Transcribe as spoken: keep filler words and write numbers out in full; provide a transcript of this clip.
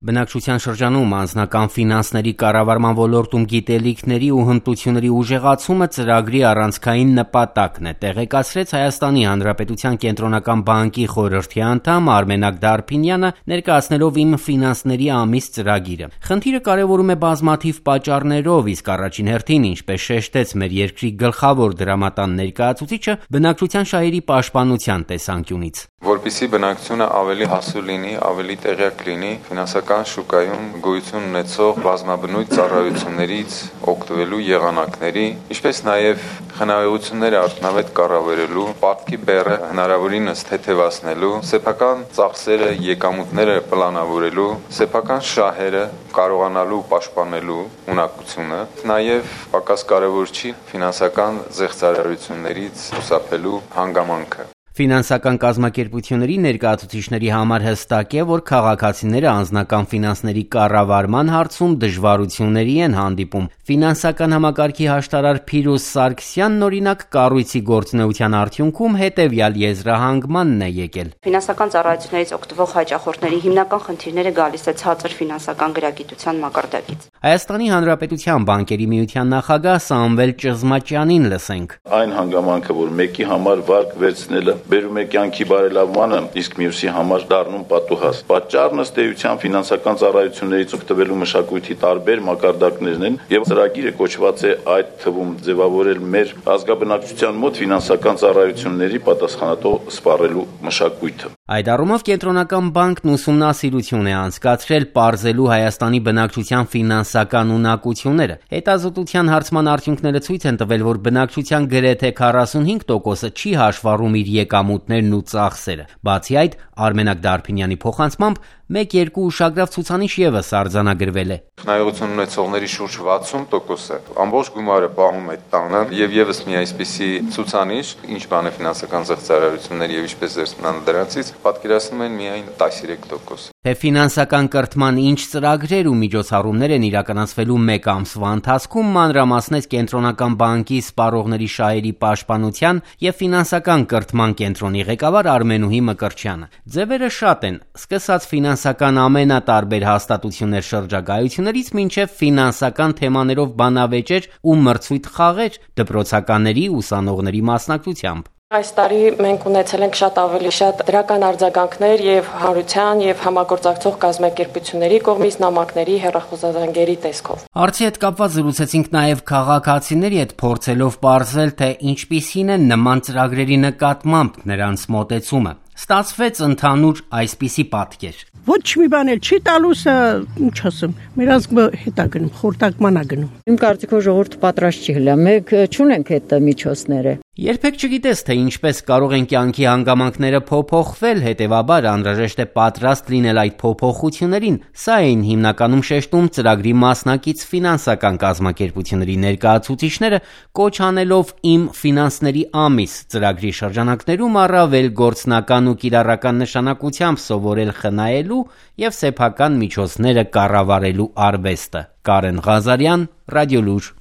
Բնակչության շրջանում անձնական ֆինանսների կառավարման ոլորտում գիտելիքների ու հմտությունների ուժեղացումը ծրագրի առանցքային նպատակն է, տեղեկացրեց Հայաստանի Հանրապետության Կենտրոնական բանկի խորհրդի անդամ Արմենակ Դարփինյանը, ներկայացնելով «Իմ ֆինանսների ամիս» ծրագիրը։ Խնդիրը կարևորում է բազմաթիվ պատճառներով, իսկ առաջին հերթին, ինչպես շեշտեց մեր երկրի գլխավոր դրամատան ներկայացուցիչը, բնակչության շահերի պաշտպանության տեսանկյունից։ Որպեսզի բնակչությունը ավելի հասու լինի, ավելի տեղյակ լինի ֆինանսական շուկայում գոյություն ունեցող բազմաբնույթ ծառայություններից օգտվելու եղանակների, ինչպես նաև խնայողությունները արդյունավետ կառավարելու, պարտքի բեռը հնարավորինս թեթևացնելու, սեփական ծախսերը, եկամուտները պլանավորելու, սեփական շահերը կարողանալու պաշտպանելու ունակությունը, նաև պակաս կարևոր չի ֆինանսական զեղծարարություններից խուսափելու հանգամանքը։ Ֆինանսական կազմակերպությունների ներկայացուցիչների համար հստակ է, որ քաղաքացիները անձնական ֆինանսների կառավարման հարցում դժվարությունների են հանդիպում։ Ֆինանսական համակարգի հաշտարար Փիրուզ Սարգսյանն օրինակ կառույցի գործունեության արդյունքում հետևյալ եզրահանգմանն է եկել։ Ֆինանսական ծառայություններից օգտվող հաճախորդների հիմնական խնդիրները գալիս է ցածր ֆինանսական գրագիտության մակարդակից։ Հայաստանի Հանրապետության բանկերի միության նախագահ Սամվել Ճզմաճյանին լսենք։ Այն հանգամանքը, որ մեկի համար վարկ վերցնելը բերում է կյանքի բարելավմանը, իսկ մյուսի համար դառնում պատուհաս։ Պատճառն ըստ էության ֆինանսական ծառայություններից օգտվելու մշակույթի տարբեր մակարդակներն են, եւ ծրագիրը կոչված է այդ թվում ձևավորել մեր ազգաբնակչության մոտ ֆինանսական ծառայությունների պատասխանատու սպառելու մշակույթը։ Այդ առումով Կենտրոնական բանկն ուսումնասիրություն է անցկացրել պարզելու Հայաստանի բնակչության ֆինանսական ունակությունները։ Հետազոտության հարցման արդյունքները ցույց են տվել, որ բնակչության գրեթե քառասունհինգ տոկոսը չի հաշվառում իր եկամուտներն ու ծախսերը։ Բացի այդ, Արմենակ Դարփինյանի փոխանցմամբ մեկ-երկու ուշագրավ ցուցանիշ ևս արձանագրվել է։ Խնայողություն ունեցողների շուրջ վաթսուն տոկոսը ամբողջ գումարը պահում է տանը, եւ եւս մի այսպիսի ցուցանիշ, ինչ բան է ֆինանսական զեղծարարություններ եւ ինչպես զերծման դրանցից, պատկերացնում են միայն տասնյոթ տոկոս։ Թե ֆինանսական կրթման ինչ ծրագրեր ու միջոցառումներ են իրականացվելու մեկ ամսվա ընթացքում, մանրամասնեց Կենտրոնական բանկի սպառողների շահերի պաշտպանության եւ ֆինանսական կրթման կենտրոնի ղեկավար Արմենուհի Մկրտչյանը։ Ձևերը շատ են, սկսած ֆինանսական ամենատարբեր հաստատություններ շրջագայություններից մինչև ֆինանսական թեմաներով բանավեճեր ու մրցույթ խաղեր դպրոցականների ուսանողների մասնակցությամբ։ Այս տարի մենք ունեցել ենք շատ ավելի շատ դրական արձագանքներ եւ հանրության եւ համագործակցող կազմակերպությունների կողմից նամակների հեռախոսազանգերի տեսքով։ Հարցի հետ կապված զրուցեցինք նաեւ քաղաքացիների հետ, փորձելով պարզել, թե ինչպիսին է նման ծրագրերի նկատմամբ նրանց մոտեցումը։ Ստացվեց ընդհանուր այսպիսի պատկեր։ Ոչ մի բան էլ չի տալուս, ինչ ասեմ, մեր ազգը հետա գնում, խորտակման է գնում։ Իմ կարծիքով ժողովուրդը պատրաստ չի հլա, մենք չունենք այդ միջոցները։ Երբեք չգիտես, թե ինչպես կարող են կյանքի հանգամանքները փոփոխվել, հետևաբար անհրաժեշտ է պատրաստ լինել այդ փոփոխություններին։ Սա էին հիմնականում շեշտում ծրագրի մասնակից ֆինանսական կազմակերպությունների ներկայացուցիչները, կոչ անելով «Իմ ֆինանսների ամիս» ծրագրի շրջանակներում առավել գործնական ու կիրառական նշանակությամբ սովորել խնայելու եւ սեփական միջոցները կառավարելու արվեստը։ Կարեն Ղազարյան, Ռադիոլուր։